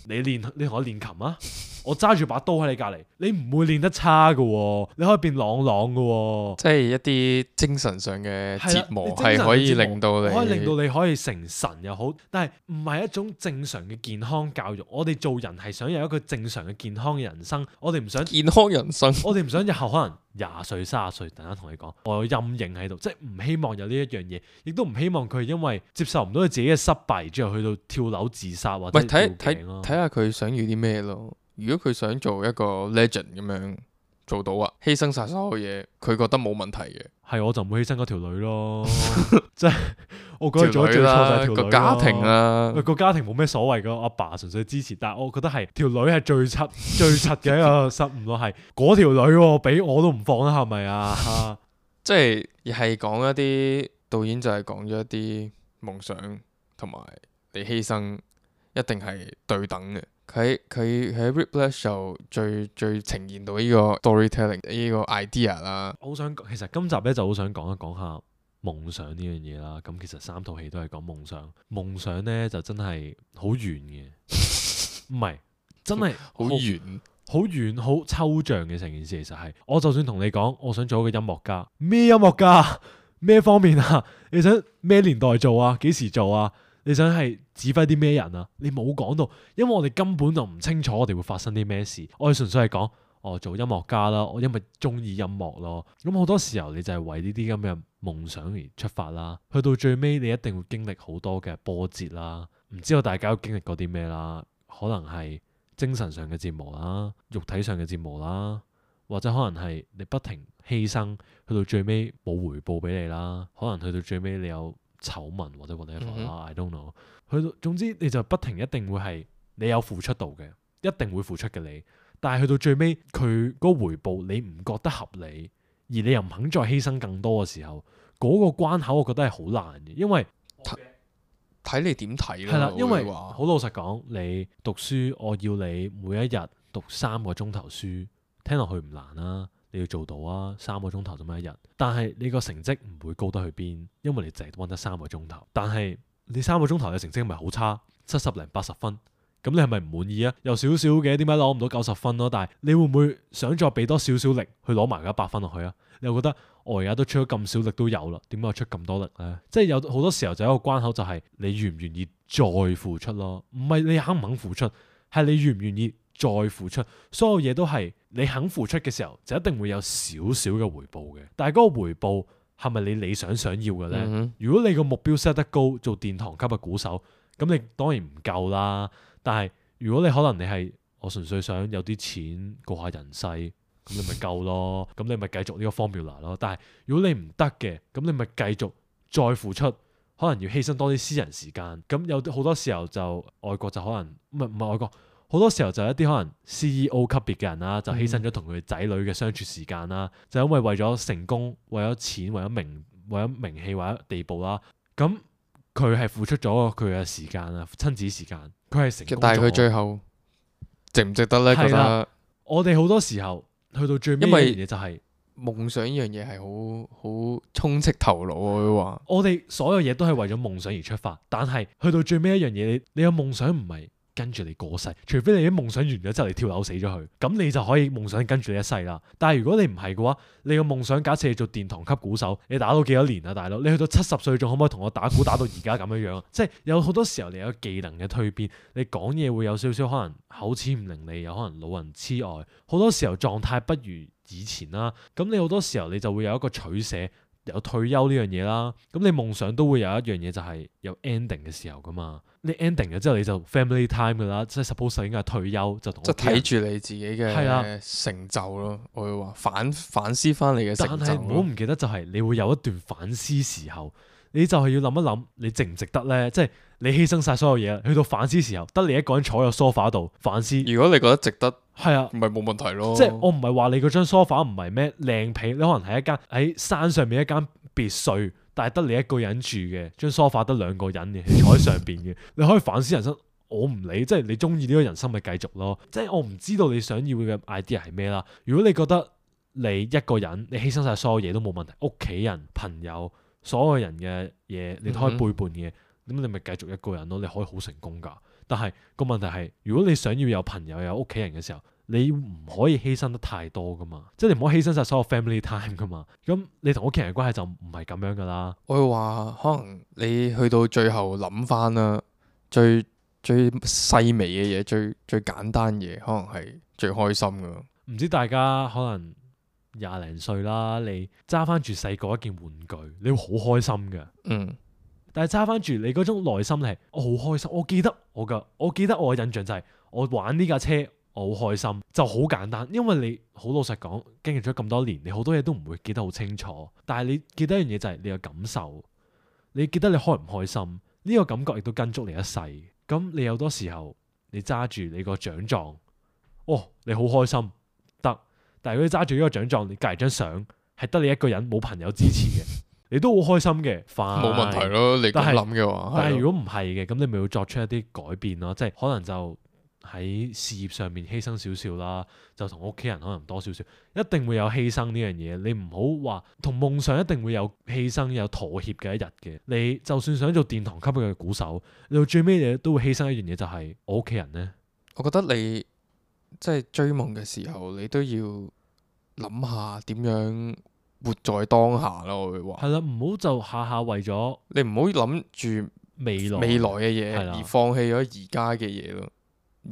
你練你同我練琴啊！我揸住把刀喺你隔離，你唔會練得差㗎喎，你可以變朗朗㗎喎。即係一啲精神上嘅折磨係啦係可以令到你，可以令到你可以成神又好，但係唔係一種正常嘅健康教育。我哋做人係想有一個正常嘅健康嘅人生，我哋唔想健康人生。我哋唔想日後可能廿歲、三十歲，突然間同你講，我有陰影喺度，即係唔希望有呢一樣嘢，亦都唔希望佢因為接受唔到佢自己嘅失敗之後去到跳樓自殺或者喂，睇睇吊頸咯。睇下佢想要啲咩咯。如果佢想做一個 legend 咁樣做到啊，犧牲晒所有嘢，佢覺得冇問題嘅。係我就唔會犧牲嗰條女咯，即係我覺得做得最錯就係條女個家庭啊，個家庭冇咩所謂噶，阿爸純粹支持，但係我覺得係條女係最柒最柒嘅一個失誤咯，係嗰條女喎，俾我都唔放啦，係咪啊？即係亦係講一啲導演就係講咗一啲夢想同埋你犧牲一定係對等嘅。佢佢喺 Whiplash 就最最呈現到呢個 storytelling 呢個 idea 啦。我好想其實今集咧就好想講一講下夢想呢樣嘢啦。咁其實三套戲都係講夢想，夢想咧就真係好遠嘅，唔係真係好遠，好遠好抽象嘅成件事。其實係我就算同你講，我想做一個音樂家，咩音樂家，咩方面啊？你想咩年代做啊？幾時做啊？你想係指揮啲咩人啊？你冇講到，因為我哋根本就唔清楚我哋會發生啲咩事。我哋純粹係講，我做音樂家啦，我因為中意音樂咯。咁好多時候你就係為呢啲咁嘅夢想而出發啦。去到最尾，你一定會經歷好多嘅波折啦。唔知道大家都經歷過啲咩啦？可能係精神上嘅折磨啦，肉體上嘅折磨啦，或者可能係你不停犧牲，去到最尾冇回報俾你啦。可能去到最尾你有醜聞或者 whatever 啦、嗯、哼，I don't know。去到總之你就不停一定會係你有付出到嘅，一定會付出嘅你。但係去到最尾佢嗰個回報你唔覺得合理，而你又唔肯再犧牲更多嘅時候，嗰、那個關口我覺得係好難嘅，因為睇你點睇啦。係啦，因為好老實講，你讀書我要你每一日讀三個鐘頭書，聽落去唔難啦。你要做到啊，三個鐘頭咁樣一日，但係你個成績唔會高得去邊，因為你淨係溫得三個鐘頭。但係你三個鐘頭嘅成績咪好差，七十零八十分，咁你係咪唔滿意啊？有少少嘅，點解攞唔到九十分咯？但係你會唔會想再俾多少少力去攞埋嗰一百分落去啊？你又覺得我而家都出咗咁少力都有啦，點解我出咁多力咧？即係有好多時候就有一個關口，就係你願唔願意再付出咯？唔係你肯唔肯付出，係你願唔願意再付出。所有嘢都係你肯付出嘅時候，就一定會有少少嘅回報嘅。但係嗰個回報係咪你理想想要嘅呢？嗯、哼如果你個目標 set 得高，做殿堂級嘅鼓手，咁你當然唔夠啦。但係如果你可能你係我純粹想有啲錢過下人世，咁你咪夠咯。咁你咪繼續呢個 formula 咯。但係如果你唔得嘅，咁你咪繼續再付出，可能要犧牲多啲私人時間。咁有好多時候就外國就可能唔係唔係外國，好多時候就一啲可能 C E O 級別嘅人啦，就犧牲咗同佢仔女嘅相處時間啦，嗯、就因為為咗成功、為咗錢、為咗名、為咗名氣、為咗地步啦。咁佢係付出咗佢嘅時間啊，親子時間，佢係成功咗。但係佢最後值唔值得呢？覺得我哋好多時候去到最尾一樣嘢就係、是、夢想呢樣嘢係好好充斥頭腦，我會話。我哋所有嘢都係為咗夢想而出發，但係去到最尾一樣嘢，你你嘅夢想唔係跟住你過世，除非你啲夢想完咗之後你跳樓死咗佢，咁你就可以夢想跟住你一世啦。但係如果你唔係嘅話，你個夢想假設你做殿堂級鼓手，你打到幾多年啊，大佬？你去到七十歲仲可唔可以同我打鼓打到而家咁樣樣啊？即係有好多時候你有技能嘅蛻變，你講嘢會有少少可能口齒唔伶俐，有可能老人痴呆，好多時候狀態不如以前啦。咁你好多時候你就會有一個取捨。有退休呢樣嘢啦，咁你夢想都會有一樣嘢就係有 ending 嘅時候噶嘛。你 ending 咗之後你就 family time 噶啦，即係 suppose 應該係退休就同。即係睇住你自己嘅成就咯，我會話反反思翻你嘅成就。但係唔好唔記得就係你會有一段反思時候，你就係要諗一諗你值唔值得咧？即係你犧牲晒所有嘢，去到反思時候，得你一個人坐喺個 sofa 度反思。如果你覺得值得。係啊，唔係冇問題咯。即係我唔係話你嗰張 sofa 唔係咩靚被，你可能係一間喺山上面一間別墅，但係得你一個人住嘅，張 sofa 得兩個人嘅，你坐喺上邊嘅，你可以反思人生。我唔理，即係你中意呢個人生咪繼續咯。即係我唔知道你想要嘅 idea 係咩啦。如果你覺得你一個人，你犧牲晒所有嘢都冇問題，屋企人、朋友、所有人嘅嘢，你都可以背叛嘅，咁、嗯、哼你咪繼續一個人咯。你可以好成功噶。但係個問題係，如果你想要有朋友有屋企人嘅時候，你唔可以犧牲得太多噶嘛，即係你唔可以犧牲晒所有 family time 噶嘛。咁你同屋企人嘅關係就唔係咁樣噶啦。我會話可能你去到最後諗翻啦，最最細微嘅嘢，最最簡單嘢，可能係最開心噶。唔知大家可能廿零歲啦，你揸翻住細個一件玩具，你會好開心嘅。嗯。但係揸翻住你嗰種內心係，我好開心。我記得我嘅，我記得我嘅印象就係我玩呢架車，我好開心，就好簡單。因為你好老實講，經歷咗咁多年，你好多嘢都唔會記得好清楚。但係你記得一樣嘢就係你嘅感受，你記得你開唔開心，呢個感覺亦都跟足你一世。咁你有多時候你揸住你個獎狀，哦，你好開心得。但係如果你揸住呢個獎狀，你隔籬張相係得你一個人，冇朋友支持嘅。你都好開心嘅，冇問題咯。你咁諗嘅話，但係如果唔係嘅，咁你咪要作出一啲改變咯。即係可能就喺事業上面犧牲少少啦，就同屋企人可能多少少，一定會有犧牲呢樣嘢。你唔好話同夢想一定會有犧牲、有妥協嘅一日嘅。你就算想做殿堂級嘅鼓手，你到最尾你都會犧牲一樣嘢，就係我屋企人呢。我覺得你即係追夢嘅時候，你都要諗下點樣活在當下咯。我會話係啦，唔好就下下為咗你唔好諗住未來未來嘅嘢而放棄咗而家嘅嘢咯。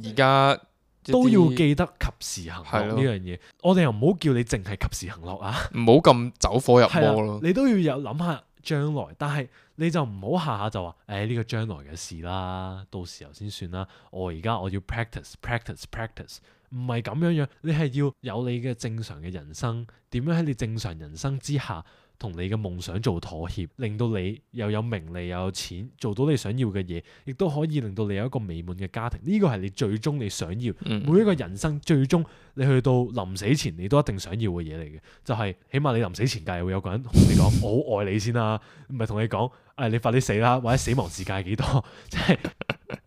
而家都要記得及時行樂呢樣嘢。我哋又唔好叫你淨係及時行樂啊，唔好咁走火入魔咯。你都要有諗下將來，但係你就唔好下下就話誒呢個將來嘅事啦，到時候先算啦。我而家我要 practice practice practice。唔係咁樣樣，你係要有你嘅正常嘅人生，點樣喺你正常人生之下，同你嘅夢想做妥協，令到你又有名利又有錢，做到你想要嘅嘢，亦都可以令到你有一個美滿嘅家庭。呢個係你最終你想要，嗯、每一個人生最終你去到臨死前，你都一定想要嘅嘢嚟嘅，就係、是、起碼你臨死前，梗係會有個人同你講我好愛你先啦，唔係同你講誒、哎、你快啲死啦，或者死亡時間係幾多，即係。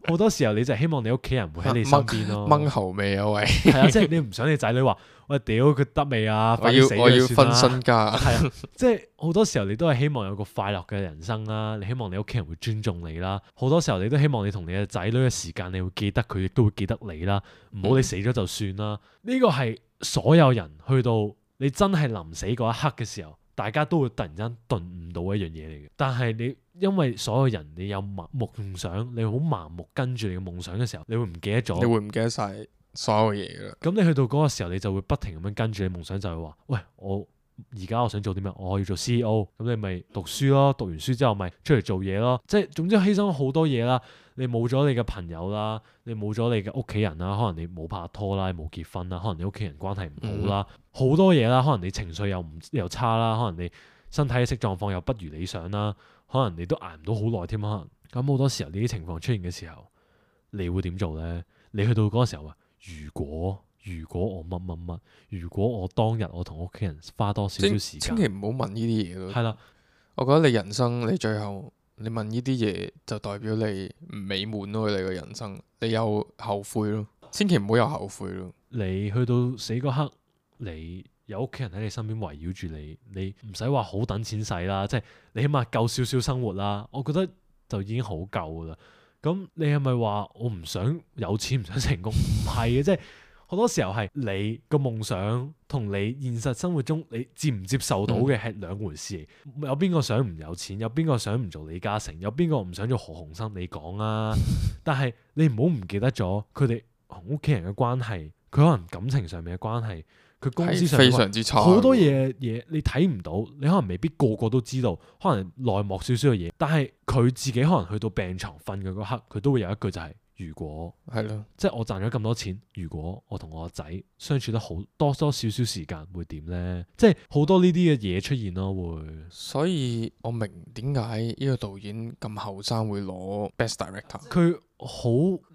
好多時候你就希望你屋企人會喺你身邊咯。掹喉未啊？喂，係啊，即係你唔想你仔女話喂屌佢得未啊？快啲死我要分身家。係啊，即係好多時候你都係希望有個快樂嘅人生啦。你希望你屋企人會尊重你啦。好多時候你都希望你同你嘅仔女嘅時間，你會記得佢，亦都會記得你啦。唔好你死咗就算啦。呢個係所有人去到你真係臨死嗰一刻嘅時候，大家都會突然間頓悟到一樣嘢嚟嘅。但係你因為所有人你有夢想，你好盲目跟住你嘅夢想嘅時候，你會唔記得咗？你會唔記得晒所有嘢㗎？咁你去到嗰個時候，你就會不停咁樣跟住你夢想，就係話：喂，我而家我想做啲咩？我要做 C E O。咁你咪讀書咯，讀完書之後咪出嚟做嘢咯。即係總之犧牲好多嘢啦。你冇咗你嘅朋友啦，你冇咗你嘅屋企人啦，可能你冇拍拖啦，冇結婚啦，可能你屋企人關係唔好啦，好、嗯、多嘢啦。可能你情緒又唔又差啦，可能你身體嘅色狀況又不如理想啦，可能你都捱唔到好耐添，可能咁好多時候呢啲情況出現嘅時候，你會點做呢？你去到嗰個時候話，如果如果我乜乜乜，如果我當日我同屋企人花多少少時間，千祈唔好問呢啲嘢咯。係啦，我覺得你人生你最後你問呢啲嘢就代表你唔美滿咯，你個人生你有後悔咯，千祈唔好有後悔咯。你去到死嗰刻，你有屋企人喺你身邊圍繞住你，你唔使話好等錢使啦，即係你起碼夠少少生活啦，我覺得就已經好夠噶啦。咁你係咪話我唔想有錢唔想成功？唔係嘅，即係好多時候係你個夢想同你現實生活中你接唔接受到嘅係兩回事嚟。嗯、有邊個想唔有錢？有邊個想唔做李嘉誠？有邊個唔想做何鴻燊？你講啊！但係你唔好唔記得咗佢哋同屋企人嘅關係，佢可能感情上面嘅關係。佢公司上非常之差，好多嘢嘢你睇唔到，你可能未必個個都知道，可能內幕少少嘅嘢，但係佢自己可能去到病床瞓嘅嗰刻，佢都會有一句就係、是、如果係咯，即係我賺咗咁多錢，如果我同我個仔相處得好多多少少時間會點呢？即係好多呢啲嘅嘢出現咯，會。所以我明點解呢個導演咁後生會攞 Best Director。佢好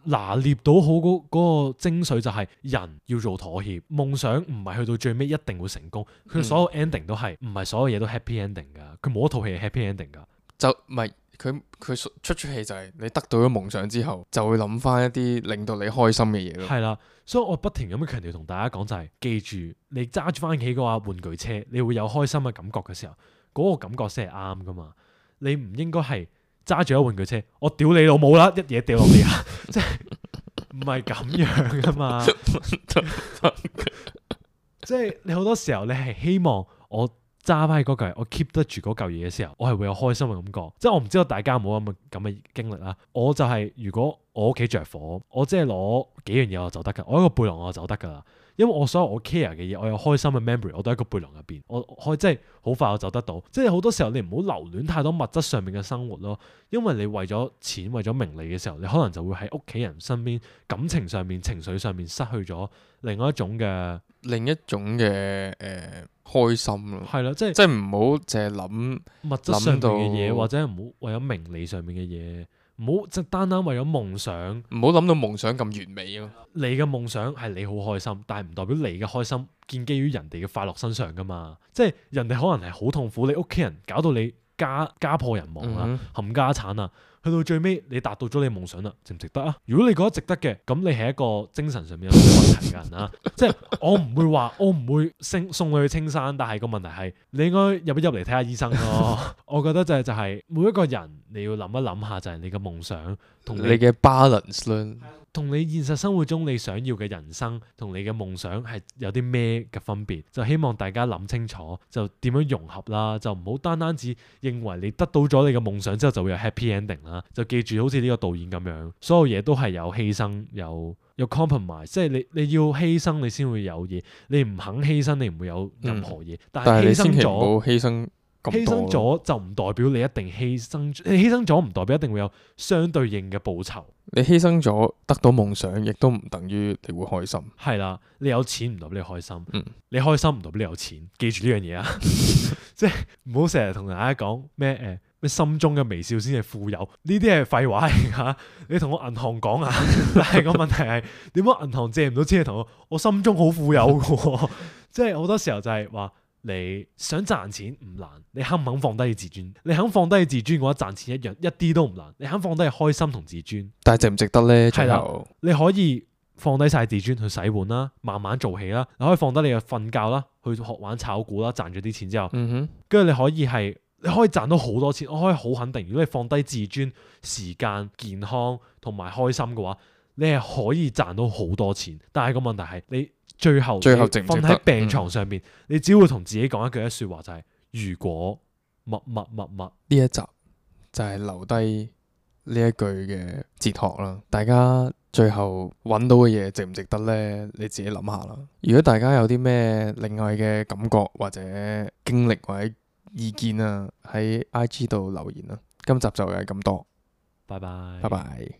拿捏到好嗰嗰個精髓，就係人要做妥協，夢想唔係去到最尾一定會成功。佢所有 ending 都係唔係所有嘢都 happy ending 噶，佢冇一套戲係 happy ending 噶。就唔係佢佢出出戲就係你得到咗夢想之後，就會諗翻一啲令到你開心嘅嘢咯。係啦，所以我不停咁樣強調同大家講就係、是，記住你揸住翻屋企嗰個玩具車，你會有開心嘅感覺嘅時候，嗰、那個感覺先係啱噶嘛。你唔應該係揸住一玩具車，我屌你老母啦，一嘢掉落地下，即係唔係咁樣噶嘛。即係你好多時候你係希望我揸翻起嗰嚿，我 keep 得住嗰嚿嘢嘅時候，我係會有開心嘅感覺。即係我唔知道大家有冇咁嘅咁嘅經歷啦。我就係、是、如果我屋企着火，我即係攞幾樣嘢我就得噶，我一個背囊我就得噶啦。因為我所有我 care 嘅嘢，我有開心嘅 memory，我都喺個背囊入邊，我可以即係好快我走得到。即係好多時候你唔好留戀太多物質上面嘅生活咯，因為你為咗錢為咗名利嘅時候，你可能就會喺屋企人身邊感情上面、情緒上面失去咗另外一種嘅另一種嘅誒、呃、開心咯。係啦，即係即係唔好淨係諗物質上面嘅諗嘢，到或者唔好為咗名利上面嘅嘢。唔好即係單單為咗夢想，唔好諗到夢想咁完美咯。你嘅夢想係你好開心，但係唔代表你嘅開心建基於人哋嘅快樂身上噶嘛。即係人哋可能係好痛苦，你屋企人搞到你家家破人亡啊，嗯冚家產啊，去到最尾你達到咗你夢想啦，值唔值得啊？如果你覺得值得嘅，咁你係一個精神上面有啲問題嘅人啊。即係我唔會話，我唔會送送你去青山，但係個問題係你應該入一入嚟睇下醫生咯。我覺得就係就係每一個人你要諗一諗下，就係你嘅夢想同你嘅 balance 啦。同你現實生活中你想要嘅人生同你嘅夢想係有啲咩嘅分別？就希望大家諗清楚，就點樣融合啦，就唔好單單只認為你得到咗你嘅夢想之後就會有 happy ending 啦。就記住好似呢個導演咁樣，所有嘢都係有犧牲，有有 compromise，即係你你要犧牲你先會有嘢，你唔肯犧牲你唔會有任何嘢。嗯、但係犧牲咗，犧牲犧牲咗就唔代表你一定犧牲，你犧牲咗唔代表一定會有相對應嘅報酬。你犧牲咗得到夢想，亦都唔等於你會開心。係啦，你有錢唔代表你開心，嗯、你開心唔代表你有錢。記住呢樣嘢啊！即係唔好成日同大家講咩誒咩心中嘅微笑先係富有，呢啲係廢話嚟㗎。你同我銀行講啊，但係個問題係點解銀行借唔到錢？同我我心中好富有㗎，即係好多時候就係話。你想賺錢唔難，你肯唔肯放低你自尊？你肯放低你自尊嘅話，賺錢一樣一啲都唔難。你肯放低你開心同自尊，但係值唔值得呢？係啦，你可以放低晒自尊去洗碗啦，慢慢做起啦。你可以放低你嘅瞓覺啦，去學玩炒股啦，賺咗啲錢之後，嗯哼，跟住你可以係你可以賺到好多錢。我可以好肯定，如果你放低自尊、時間、健康同埋開心嘅話，你係可以賺到好多錢。但係個問題係你。最後，最後瞓喺病床上面，嗯、你只會同自己講一句一說話，就係、是、如果乜乜乜乜。呢一集就係留低呢一句嘅哲學啦。大家最後揾到嘅嘢值唔值得呢？你自己諗下啦。如果大家有啲咩另外嘅感覺或者經歷或者意見啊，喺 I G 度留言啦。今集就係咁多，拜拜，拜拜。